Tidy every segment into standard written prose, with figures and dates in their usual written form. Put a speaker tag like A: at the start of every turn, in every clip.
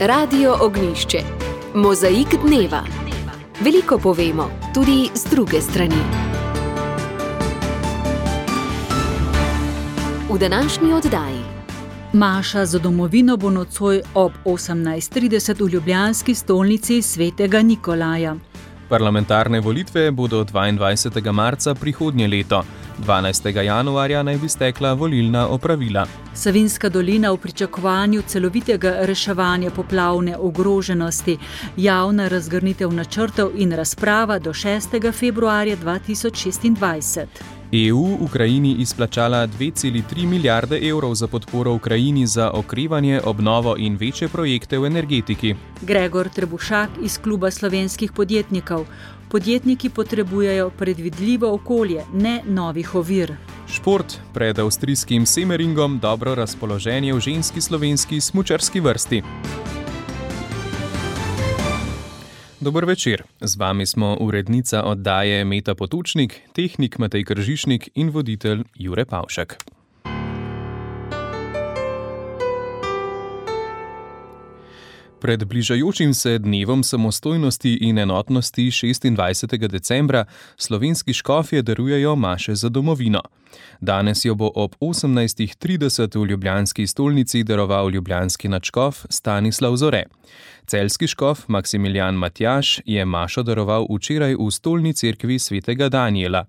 A: Radio Ognišče. Mozaik dneva. Veliko povemo, tudi z druge strani. V današnji oddaji.
B: Maša za domovino bo nocoj ob 18:30 v ljubljanski stolnici svetega Nikolaja.
C: Parlamentarne volitve bodo 22. marca prihodnje leto. 12. januarja naj bi stekla volilna opravila.
B: Savinjska dolina v pričakovanju celovitega reševanja poplavne ogroženosti, javna razgrnitev načrtov in razprava do 6. februarja 2026.
C: EU Ukrajini izplačala 2,3 milijarde evrov za podporo Ukrajini za okrevanje, obnovo in večje projekte v energetiki.
B: Gregor Trebušak iz Kluba slovenskih podjetnikov. Podjetniki potrebujejo predvidljivo okolje, ne novih ovir.
C: Šport. Pred avstrijskim Semmeringom dobro razpoloženje v ženski slovenski smučarski vrsti. Dober večer, z vami smo urednica oddaje Meta Potočnik, tehnik Matej Kržišnik in voditelj Jure Pavšek. Pred bližajočim se dnevom samostojnosti in enotnosti 26. decembra slovenski škofje darujejo maše za domovino. Danes jo bo ob 18:30 v ljubljanski stolnici daroval ljubljanski nadškof Stanislav Zore. Celjski škof Maksimilijan Matjaž je mašo daroval včeraj v stolni cerkvi svetega Danijela.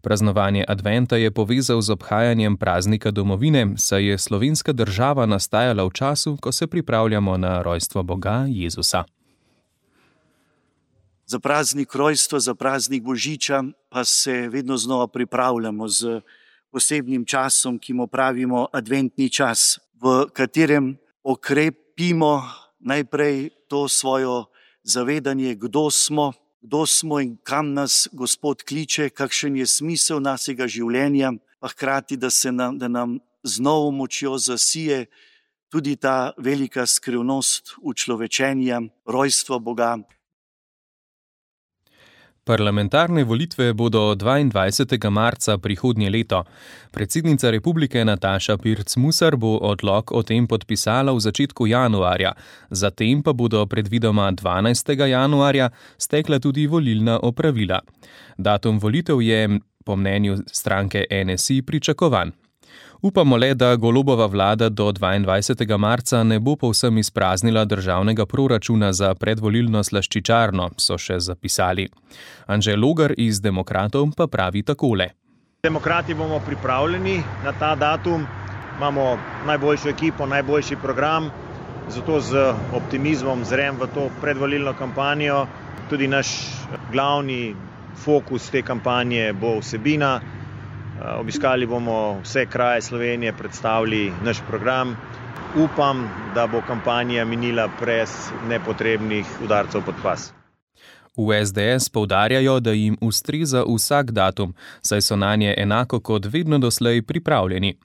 C: Praznovanje adventa je povezal z obhajanjem praznika domovine, saj je slovenska država nastajala v času, ko se pripravljamo na rojstvo Boga Jezusa.
D: Za praznik rojstva, za praznik Božiča pa se vedno znova pripravljamo z posebnim časom, ki mu pravimo adventni čas, v katerem okrepimo najprej to svojo zavedanje, kdo smo in kam nas Gospod kliče, kakšen je smisel našega življenja, pa hkrati, da nam z novo močjo zasije tudi ta velika skrivnost učlovečenja, rojstva Boga.
C: Parlamentarne volitve bodo 22. marca prihodnje leto. Predsednica republike Nataša Pirc Musar bo odlok o tem podpisala v začetku januarja, zatem pa bodo predvidoma 12. januarja stekla tudi volilna opravila. Datum volitev je, po mnenju stranke NSI, pričakovan. Upamo le, da Golobova vlada do 22. marca ne bo povsem izpraznila državnega proračuna za predvolilno slaščičarno, so še zapisali. Anže Logar iz Demokratov pa pravi takole.
E: Demokrati bomo pripravljeni na ta datum, imamo najboljšo ekipo, najboljši program, zato z optimizmom zrem v to predvolilno kampanjo. Tudi naš glavni fokus te kampanje bo vsebina. Obiskali bomo vse kraje Slovenije, predstavili naš program. Upam, da bo kampanja minila brez nepotrebnih udarcev pod pas.
C: V SDS poudarjajo, da jim ustreza vsak datum, saj so nanje enako kot vedno doslej pripravljeni.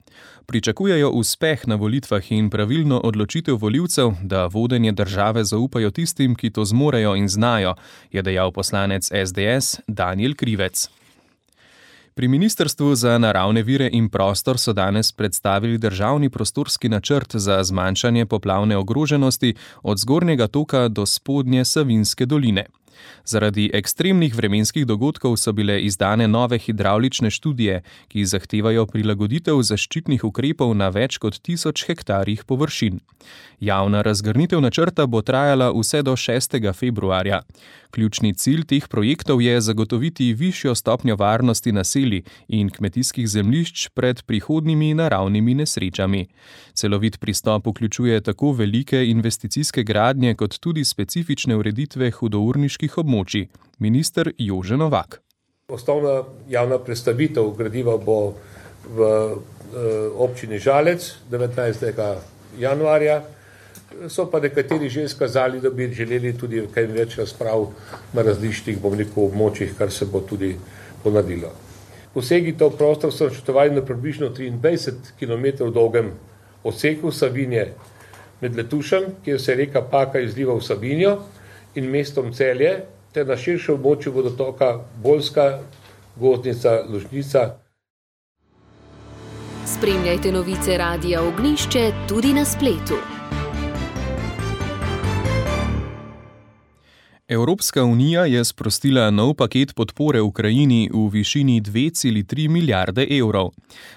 C: Pričakujejo uspeh na volitvah in pravilno odločitev volivcev, da vodenje države zaupajo tistim, ki to zmorejo in znajo, je dejal poslanec SDS Danijel Krivec. Pri Ministrstvu za naravne vire in prostor so danes predstavili državni prostorski načrt za zmanjšanje poplavne ogroženosti od zgornjega toka do spodnje Savinjske doline. Zaradi ekstremnih vremenskih dogodkov so bile izdane nove hidravlične študije, ki zahtevajo prilagoditev zaščitnih ukrepov na več kot 1000 hektarjih površin. Javna razgrnitev načrta bo trajala vse do 6. februarja. Ključni cilj teh projektov je zagotoviti višjo stopnjo varnosti naselij in kmetijskih zemljišč pred prihodnjimi naravnimi nesrečami. Celovit pristop vključuje tako velike investicijske gradnje kot tudi specifične ureditve hudourniških območij. Minister Jože Novak.
F: Osnovna javna predstavitev gradiva bo v občini Žalec 19. januarja. So pa nekateri že izkazali, da bi želeli tudi kaj več razprav na različnih, območjih, kar se bo tudi ponadilo. Posegi v prostor so načrtovani na približno 23 km dolgem odseku Savinje med Letušem, kjer se reka Paka izliva v Savinjo, in mestom Celje, ter na širšem območju vodotoka Bolska, Gozdnica, Lužnica.
A: Spremljajte novice Radia Ognišče tudi na spletu.
C: Evropska unija je sprostila nov paket podpore Ukrajini v višini 2,3 milijarde evrov.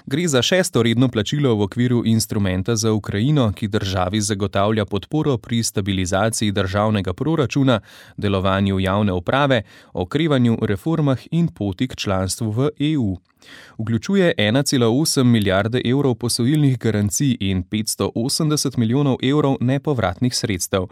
C: Gre za 6. redno plačilo v okviru instrumenta za Ukrajino, ki državi zagotavlja podporo pri stabilizaciji državnega proračuna, delovanju javne uprave, okrevanju, reformah in poti k članstvu v EU. Vključuje 1,8 milijarde evrov posojilnih garancij in 580 milijonov evrov nepovratnih sredstev.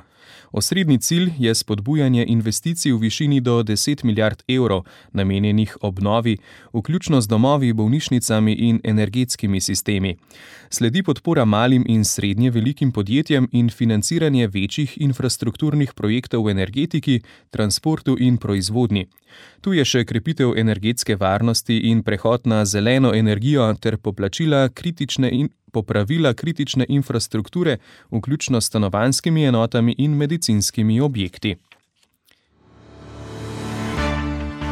C: Osrednji cilj je spodbujanje investicij v višini do 10 milijard evrov, namenjenih obnovi, vključno z domovi, bolnišnicami in energetskimi sistemi. Sledi podpora malim in srednje velikim podjetjem in financiranje večjih infrastrukturnih projektov v energetiki, transportu in proizvodnji. Tu je še krepitev energetske varnosti in prehod na zeleno energijo ter popravila kritične infrastrukture, vključno s stanovanjskimi enotami in medicinskimi objekti.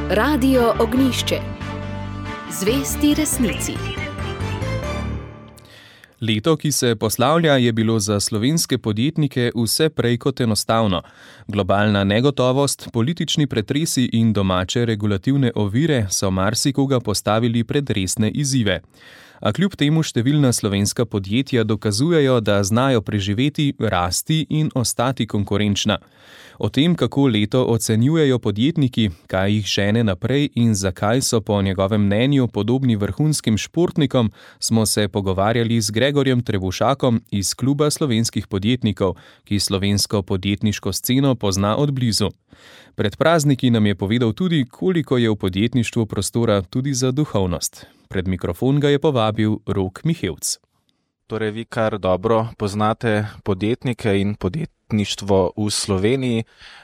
A: Radio Ognjišče. Zvesti resnici.
C: Leto, ki se poslavlja, je bilo za slovenske podjetnike vse prej kot enostavno. Globalna negotovost, politični pretresi in domače regulativne ovire so marsikoga postavili pred resne izzive. A kljub temu številna slovenska podjetja dokazujejo, da znajo preživeti, rasti in ostati konkurenčna. O tem, kako leto ocenjujejo podjetniki, kaj jih žene naprej in zakaj so po njegovem mnenju podobni vrhunskim športnikom, smo se pogovarjali z Gregorjem Trebušakom iz Kluba slovenskih podjetnikov, ki slovensko podjetniško sceno pozna od blizu. Pred prazniki nam je povedal tudi, koliko je v podjetništvu prostora tudi za duhovnost. Pred mikrofon ga je povabil Rok Mihevc.
G: Torej, vi kar dobro poznate podjetnike in podjetništvo v Sloveniji,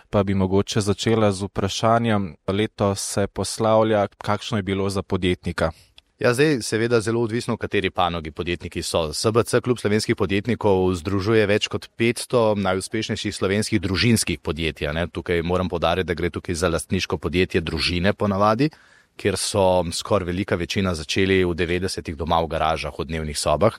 G: pa bi mogoče začela z vprašanjem, leto se poslavlja, kakšno je bilo za podjetnika?
H: Ja, zdaj seveda zelo odvisno, v kateri panogi podjetniki so. SBC, Klub slovenskih podjetnikov, združuje več kot 500 najuspešnejših slovenskih družinskih podjetij. Tukaj moram poudariti, da gre tukaj za lastniško podjetje družine ponavadi, kjer so skoraj velika večina začeli v 90-ih doma v garažah, v dnevnih sobah.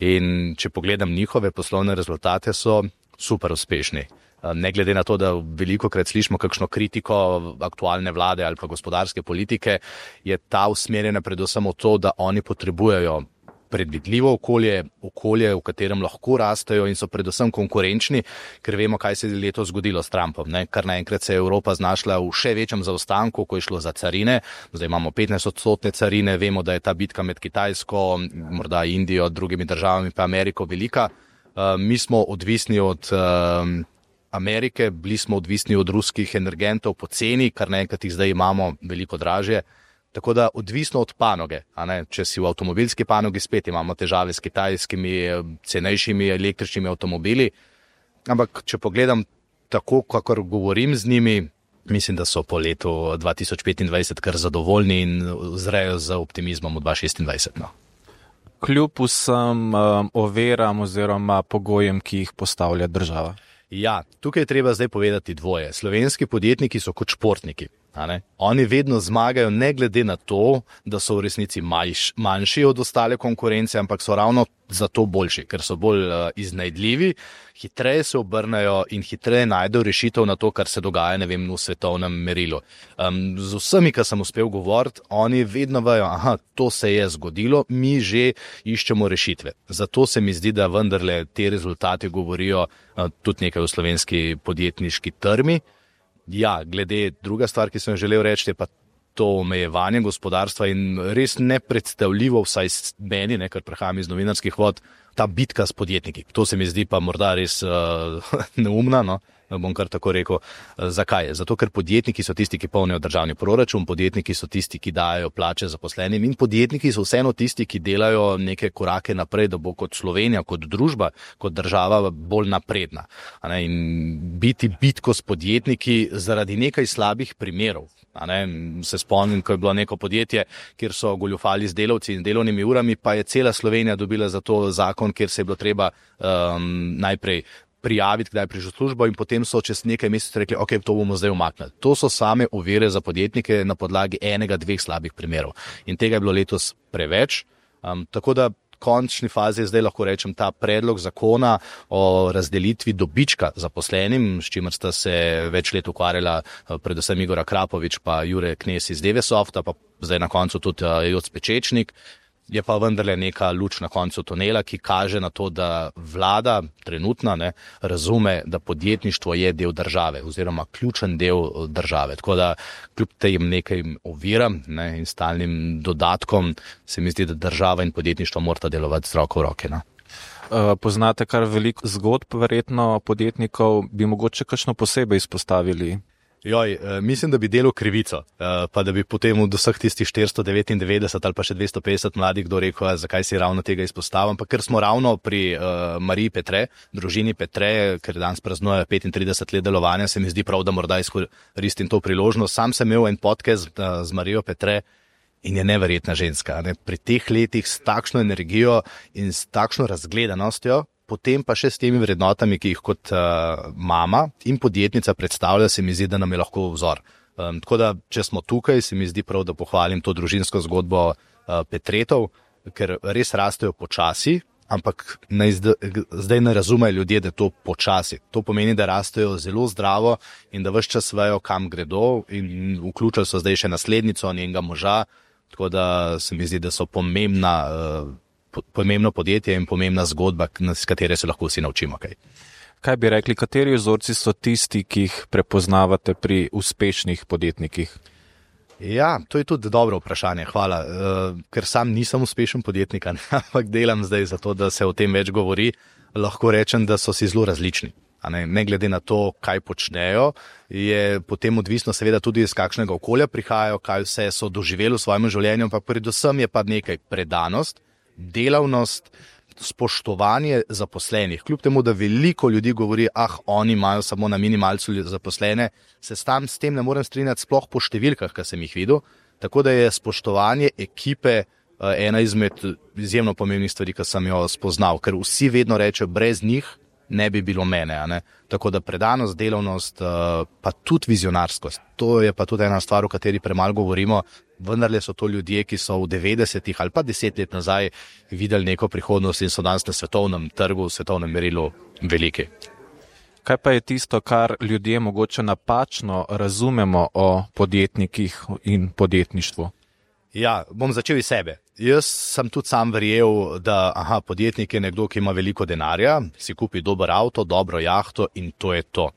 H: In če pogledam njihove poslovne rezultate, so super uspešni. Ne glede na to, da velikokrat slišimo kakšno kritiko aktualne vlade ali pa gospodarske politike, je ta usmerjena predvsem v to, da oni potrebujejo predvidljivo okolje, v katerem lahko rastejo in so predvsem konkurenčni, ker vemo, kaj se je letos zgodilo s Trumpom. Kar naenkrat se je Evropa znašla v še večjem zaostanku, ko je šlo za carine. Zdaj imamo 15% carine, vemo, da je ta bitka med Kitajsko, morda Indijo, drugimi državami pa Ameriko velika. Mi smo odvisni od Amerike, bili smo odvisni od ruskih energentov po ceni, kar naenkrat jih zdaj imamo veliko dražje. Tako da odvisno od panoge, če si v avtomobilski panogi, spet imamo težave s kitajskimi cenejšimi električnimi avtomobili, ampak če pogledam tako, kakor govorim z njimi, mislim, da so po letu 2025 kar zadovoljni in zrejo z optimizmom v 2026.
G: Kljub vsem overam oziroma pogojem, ki jih postavlja država.
H: Ja, tukaj je treba zdaj povedati dvoje. Slovenski podjetniki so kot športniki. Oni vedno zmagajo, ne glede na to, da so v resnici manjši od ostale konkurence, ampak so ravno zato boljši, ker so bolj iznajdljivi, hitreje se obrnejo in hitreje najdejo rešitev na to, kar se dogaja, v svetovnem merilu. Z vsemi, ki sem uspel govoriti, oni vedno vejo, to se je zgodilo, mi že iščemo rešitve. Zato se mi zdi, da vendarle te rezultate govorijo tudi nekaj o slovenski podjetniški trmi. Ja, glede druga stvar, ki sem želel reči, je pa to omejevanje gospodarstva in res nepredstavljivo, vsaj meni, ker prihajam iz novinarskih vod, ta bitka s podjetniki. To se mi zdi pa morda res neumna, bom kar tako rekel. Zakaj? Zato, ker podjetniki so tisti, ki polnijo državni proračun, podjetniki so tisti, ki dajo plače zaposlenim in podjetniki so vseeno tisti, ki delajo neke korake naprej, da bo kot Slovenija, kot družba, kot država bolj napredna. In biti bitko s podjetniki zaradi nekaj slabih primerov. Se spomnim, ko je bilo neko podjetje, kjer so goljufali z delavci in delovnimi urami, pa je cela Slovenija dobila za to zakon, kjer se je bilo treba najprej prijaviti, kdaj je prišel službo in potem so čez nekaj mesecev rekli, ok, to bomo zdaj umaknili. To so same ovire za podjetnike na podlagi 1-2 slabih primerov. In tega je bilo letos preveč. Tako da končni fazi je zdaj lahko rečem ta predlog zakona o razdelitvi dobička zaposlenim, s čimer sta se več let ukvarjala predvsem Igor Akrapovič pa Jure Knez iz Devesofta, pa zdaj na koncu tudi Joc Pečečnik. Je pa vendarle neka luč na koncu tunela, ki kaže na to, da vlada trenutna razume, da podjetništvo je del države oziroma ključen del države. Tako da kljub tem nekaj oviram in stalnim dodatkom se mi zdi, da država in podjetništvo morata delovati z roko v roke.
G: Poznate kar veliko zgodb verjetno podjetnikov, bi mogoče kakšno posebej izpostavili?
H: Mislim, da bi delal krivico, pa da bi potem od vseh tistih 499 ali pa še 250 mladih kdo rekel, zakaj si ravno tega izpostavil, ampak ker smo ravno pri Mariji Petre, družini Petre, ker danes praznuje 35 let delovanja, se mi zdi prav, da morda izkoristim to priložnost. Sam sem imel en podcast z Marijo Petre in je neverjetna ženska. Pri teh letih s takšno energijo in s takšno razgledanostjo, potem pa še s temi vrednotami, ki jih kot mama in podjetnica predstavlja, se mi zdi, da nam je lahko vzor. Tako da, če smo tukaj, se mi zdi prav, da pohvalim to družinsko zgodbo Petretov, ker res rastejo počasi, ampak zdaj ne razumejo ljudje, da je to počasi. To pomeni, da rastejo zelo zdravo in da ves čas vejo, kam gredo, in vključili so zdaj še naslednico njenega moža, tako da se mi zdi, da so pomembno podjetje in pomembna zgodba, s katere se lahko vsi naučimo kaj.
G: Kaj bi rekli, kateri vzorci so tisti, ki jih prepoznavate pri uspešnih podjetnikih?
H: Ja, to je tudi dobro vprašanje, hvala. Ker sam nisem uspešen podjetnik, ampak delam zdaj za to, da se o tem več govori, lahko rečem, da so si zelo različni. Ne glede na to, kaj počnejo, je potem odvisno seveda tudi iz kakšnega okolja prihajajo, kaj vse so doživeli v svojem življenju, ampak predvsem je pa nekaj predanost, delavnost, spoštovanje zaposlenih. Kljub temu, da veliko ljudi govori, oni imajo samo na minimalcu zaposlene, se sam s tem ne morem strinjati, sploh po številkah, kar sem jih videl. Tako da je spoštovanje ekipe ena izmed izjemno pomembnih stvari, ki sem jo spoznal, ker vsi vedno rečejo, brez njih ne bi bilo mene. Tako da predanost, delavnost, pa tudi vizionarskost. To je pa tudi ena stvar, o kateri premalo govorimo. Vendarle so to ljudje, ki so v 90-ih ali pa 10 let nazaj videli neko prihodnost in so danes na svetovnem trgu, v svetovnem merilu veliki.
G: Kaj pa je tisto, kar ljudje mogoče napačno razumemo o podjetnikih in podjetništvu?
H: Ja, bom začel iz sebe. Jaz sem tudi sam verjel, da podjetnik je nekdo, ki ima veliko denarja, si kupi dober avto, dobro jahto in to je to.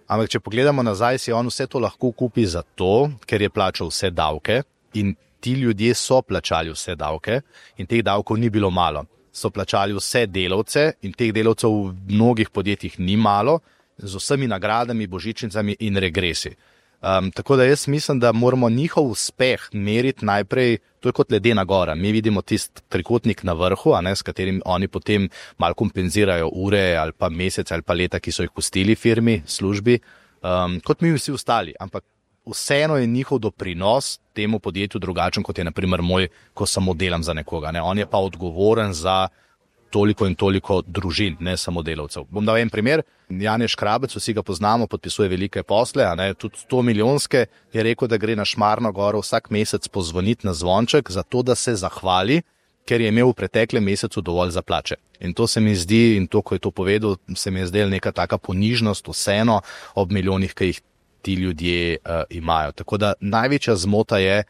H: Ampak če pogledamo nazaj, si on vse to lahko kupi zato, ker je plačal vse davke in ti ljudje so plačali vse davke in teh davkov ni bilo malo. So plačali vse delavce in teh delavcev v mnogih podjetjih ni malo, z vsemi nagradami, božičnicami in regresi. Tako da jaz mislim, da moramo njihov uspeh meriti najprej, to je kot ledena gora. Mi vidimo tisti trikotnik na vrhu, s katerim oni potem malo kompenzirajo ure ali pa mesece ali pa leta, ki so jih pustili firmi, službi, kot mi vsi ostali. Ampak vseeno je njihov doprinos temu podjetju drugačen, kot je na primer moj, ko samo delam za nekoga. On je pa odgovoren za toliko in toliko družin, ne samo delavcev. Bom dal en primer. Janez Škrabec, vsi ga poznamo, podpisuje velike posle, tudi 100 milijonske, je rekel, da gre na Šmarno goro vsak mesec pozvoniti na zvonček, zato da se zahvali, ker je imel v preteklem mesecu dovolj za plače. In to se mi zdi, in to, ko je to povedal, se mi je zdela neka taka ponižnost vseeno ob milijonih, ki jih ti ljudje imajo. Tako da največja zmota je,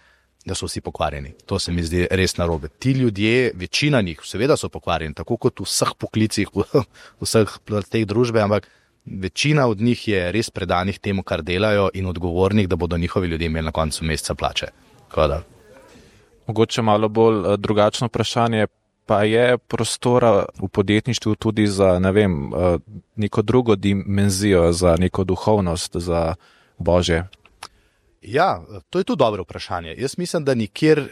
H: da so vsi pokvarjeni. To se mi zdi res narobe. Ti ljudje, večina njih, seveda so pokvarjeni, tako kot v vseh poklicih, v vseh teh družbe, ampak večina od njih je res predanih temu, kar delajo in odgovornih, da bodo njihovi ljudje imeli na koncu meseca plače.
G: Mogoče malo bolj drugačno vprašanje, pa je prostora v podjetništvu tudi za, neko drugo dimenzijo, za neko duhovnost, za Božje?
H: Ja, to je tudi dobro vprašanje. Jaz mislim, da nikjer,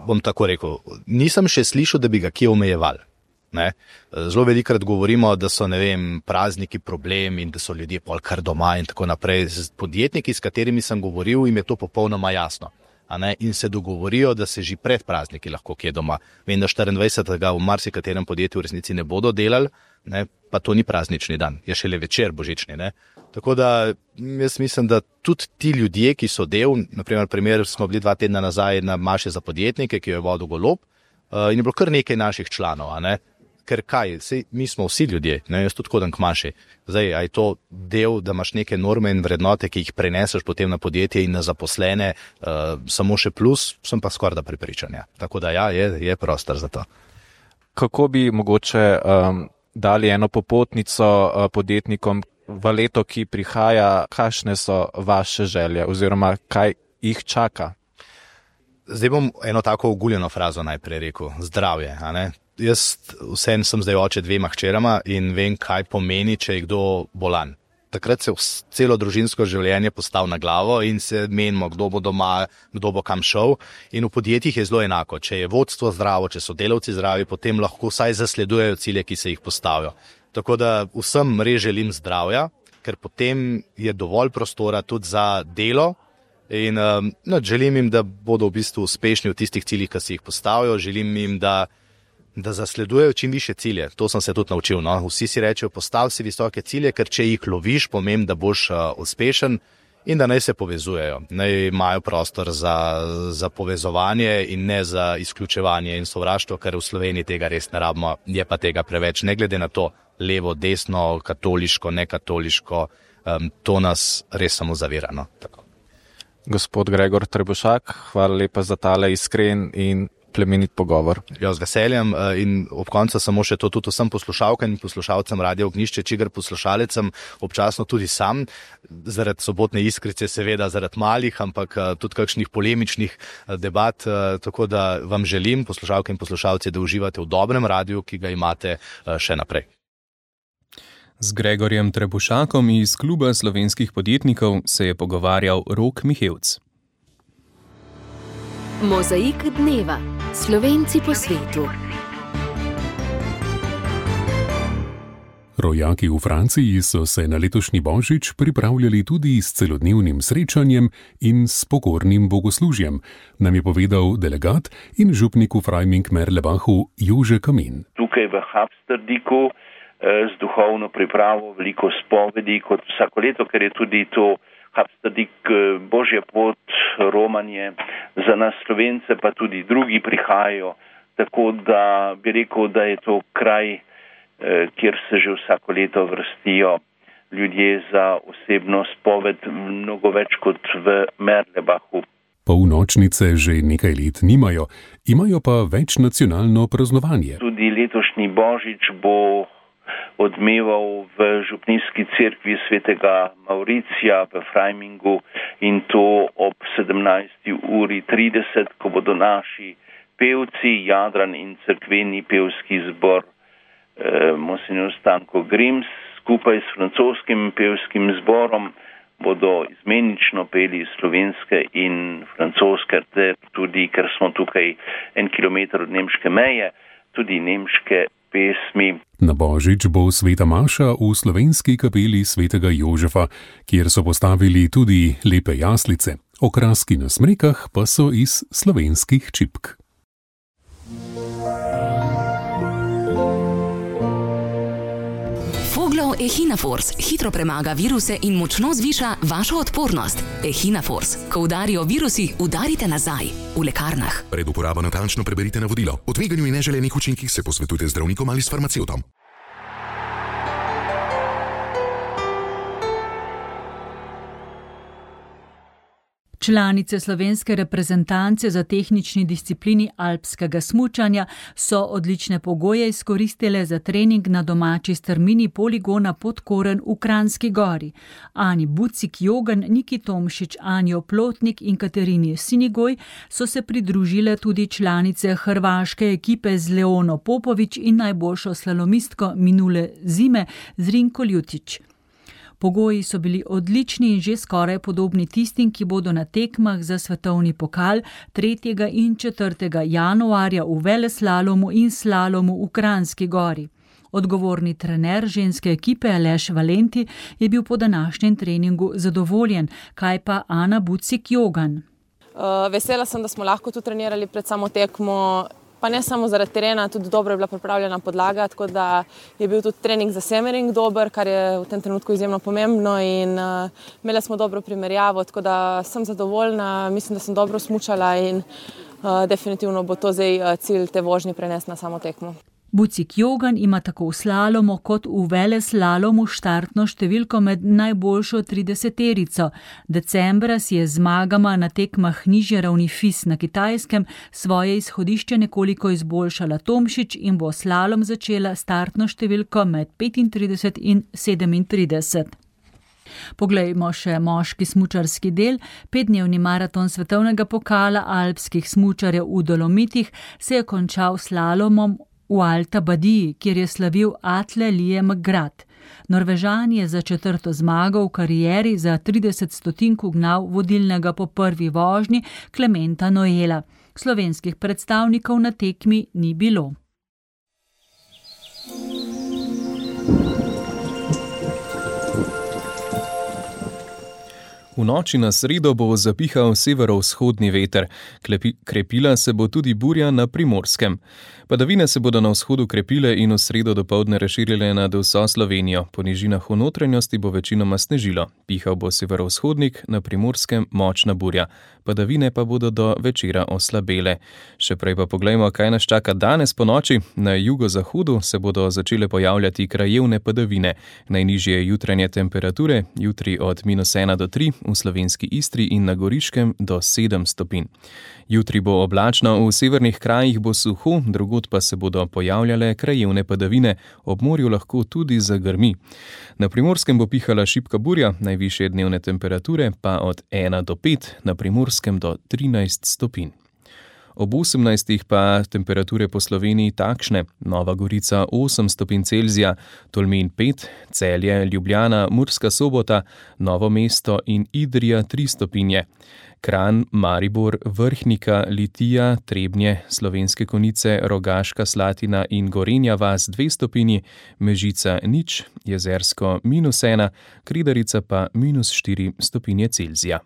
H: bom tako rekel, nisem še slišal, da bi ga kje omejevali. Zelo velikokrat govorimo, da so, prazniki problem in da so ljudje pol kar doma in tako naprej. Z podjetniki, s katerimi sem govoril, jim je to popolnoma jasno. In se dogovorijo, da se že pred prazniki lahko kje doma. Vem, da 24. v marsikaterem podjetju v resnici ne bodo delali, pa to ni praznični dan, je šele večer božični. Tako da jaz mislim, da tudi ti ljudje, ki so del, naprimer smo bili 2 tedna nazaj na maši za podjetnike, ki jo je vodil Golob, in je bilo kar nekaj naših članov, a ne? Ker kaj, mi smo vsi ljudje, ne, jaz tudi hodam k maši. Zdaj, a je to del, da imaš neke norme in vrednote, ki jih preneseš potem na podjetje in na zaposlene, samo še plus, sem pa skoraj da prepričan. Ja. Tako da ja, je prostor za to.
G: Kako bi mogoče dali eno popotnico podjetnikom v leto, ki prihaja, kakšne so vaše želje oziroma kaj jih čaka?
H: Zdaj bom eno tako oguljeno frazo najprej rekel, zdravje, a ne? Jaz vsem sem zdaj oče 2 hčerama in vem, kaj pomeni, če je kdo bolan. Takrat se celo družinsko življenje postavi na glavo in se menimo, kdo bo doma, kdo bo kam šel. In v podjetjih je zelo enako. Če je vodstvo zdravo, če so delavci zdravi, potem lahko vsaj zasledujejo cilje, ki se jih postavijo. Tako da vsem res želim zdravja, ker potem je dovolj prostora tudi za delo. In želim jim, da bodo v bistvu uspešni v tistih ciljih, ki si jih postavijo. Želim jim, da zasledujejo čim više cilje. To sem se tudi naučil. No? Vsi si rečejo, postavi si visoke cilje, ker če jih loviš, pomeni, da boš uspešen in da naj se povezujejo. Naj imajo prostor za povezovanje in ne za izključevanje in sovraštvo, ker v Sloveniji tega res ne rabimo, je pa tega preveč. Ne glede na to, levo, desno, katoliško, nekatoliško, to nas res samo zavira. No? Tako.
G: Gospod Gregor Trebušak, hvala lepa za tale iskren in plemenit pogovor.
H: Ja, z veseljem in ob koncu samo še to tudi vsem poslušalkam in poslušalcem Radia Ognjišče, čigar poslušalecem občasno tudi sam, zaradi sobotne iskrice, seveda zaradi malih, ampak tudi kakšnih polemičnih debat, tako da vam želim, poslušalke in poslušalci, da uživate v dobrem radiju, ki ga imate še naprej.
C: Z Gregorjem Trebušakom iz Kluba slovenskih podjetnikov se je pogovarjal Rok Mihevc.
A: Mozaik dneva. Slovenci po svetu.
I: Rojaki v Franciji so se na letošnji božič pripravljali tudi s celodnevnim srečanjem in s pokornim bogoslužjem, nam je povedal delegat in župnik v Freiming-Merlebachu Jože Kamin.
J: Tukaj v Habsterdiku z duhovno pripravo veliko spovedi kot vsako leto, ker je tudi to Habsterdik Božja pot, romanje za nas Slovence, pa tudi drugi prihajajo, tako da bi rekel, da je to kraj, kjer se že vsako leto vrstijo ljudje za osebno spoved, mnogo več kot v Merlebachu.
I: Polnočnice že nekaj let nimajo, imajo pa večnacionalno praznovanje.
J: Tudi letošnji božič bo odmeval v župnijski cerkvi svetega Mauricija v Freimingu in to ob 17:30, ko bodo naši pevci, Jadran in cerkveni pevski zbor Monsignor Stanko Grims skupaj s francoskim pevskim zborom bodo izmenično peli slovenske in francoske, ter tudi, ker smo tukaj 1 kilometer od nemške meje, tudi nemške pesmi.
I: Na božič bo sveta maša v slovenski kapeli svetega Jožefa, kjer so postavili tudi lepe jaslice. Okraski na smrekah pa so iz slovenskih čipk.
K: Foglov Echinafors hitro premaga viruse in močno zviša vašo odpornost. Echinafors. Ko udarijo virusi, udarite nazaj. V lekarnah.
L: Pred uporabo natančno preberite navodilo. O tveganju in neželenih učinkih se posvetujte z zdravnikom ali s farmacevtom.
B: Članice slovenske reprezentance za tehnični disciplini alpskega smučanja so odlične pogoje izkoristile za trening na domači strmini poligona Podkoren v Kranjski Gori. Ani Bucik-Jogan, Niki Tomšič, Anjo Plotnik in Katerini Sinigoj so se pridružile tudi članice hrvaške ekipe z Leono Popovič in najboljšo slalomistko minule zime Zrinko Ljutić. Pogoji so bili odlični in že skoraj podobni tistim, ki bodo na tekmah za svetovni pokal 3. in 4. januarja v veleslalomu in slalomu v Kranjski Gori. Odgovorni trener ženske ekipe Aleš Valenti je bil po današnjem treningu zadovoljen, kaj pa Ana Bucik-Jogan.
M: Vesela sem, da smo lahko tu trenirali pred samo tekmo, pa ne samo zaradi terena, tudi dobro je bila pripravljena podlaga, tako da je bil tudi trening za Semmering dober, kar je v tem trenutku izjemno pomembno in imeli smo dobro primerjavo, tako da sem zadovoljna, mislim, da sem dobro smučala in definitivno bo to zdaj cilj te vožnje prenesti na samo tekmo.
B: Bucik Jogan ima tako v slalomu kot v veleslalomu štartno številko med najboljšo 30-terico. Decembra si je zmagama na tekmah nižje ravni FIS na Kitajskem svoje izhodišče nekoliko izboljšala Tomšič in bo slalom začela startno številko med 35 in 37. Poglejmo še moški smučarski del. 5-dnevni maraton svetovnega pokala alpskih smučarjev v Dolomitih se je končal slalomom v Alta Badiji, kjer je slavil Atle Liam Grad. Norvežan je za 4. zmago v karieri za 30 stotink ugnal vodilnega po prvi vožnji Klementa Noela. Slovenskih predstavnikov na tekmi ni bilo.
C: V noči na sredo bo zapihal severovzhodni veter, krepila se bo tudi burja na Primorskem. Padavine se bodo na vzhodu krepile in v sredo dopoldne razširile nad vso Slovenijo. Po nižinah v notranjosti bo večinoma snežilo. Pihal bo severovzhodnik, na Primorskem močna burja. Padavine pa bodo do večera oslabele. Še prej pa poglejmo, kaj nas čaka danes po noči. Na jugozahodu se bodo začele pojavljati krajevne padavine. Najnižje jutranje temperature, jutri od -1 do 3, v slovenski Istri in na Goriškem do 7 stopinj. Jutri bo oblačno, v severnih krajih bo suho, drugod pa se bodo pojavljale krajevne padavine, ob morju lahko tudi zagrmi. Na Primorskem bo pihala šibka burja, najvišje dnevne temperature pa od 1 do 5, na Primorskem do 13 stopinj. Ob 18 pa temperature po Sloveniji takšne: Nova Gorica 8 stopinj Celzija, Tolmin 5, Celje, Ljubljana, Murska Sobota, Novo mesto in Idrija 3 stopinje. Kranj, Maribor, Vrhnika, Litija, Trebnje, Slovenske Konjice, Rogaška Slatina in Gorenja vas 2 stopinji, Mežica 0, Jezersko -1, Kredarica pa -4 stopinje Celzija.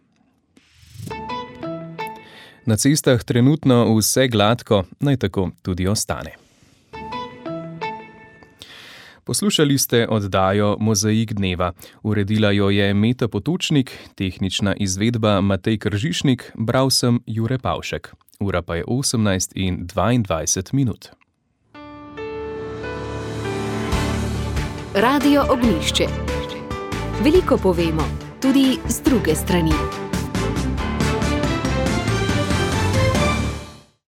C: Na cestah trenutno vse gladko, naj tako tudi ostane. Poslušali ste oddajo Mozaik dneva. Uredila jo je Meta Potočnik, tehnična izvedba Matej Kržišnik, bral sem Jure Pavšek. Ura pa je 18:22.
A: Radio Ognjišče. Veliko povemo, tudi z druge strani.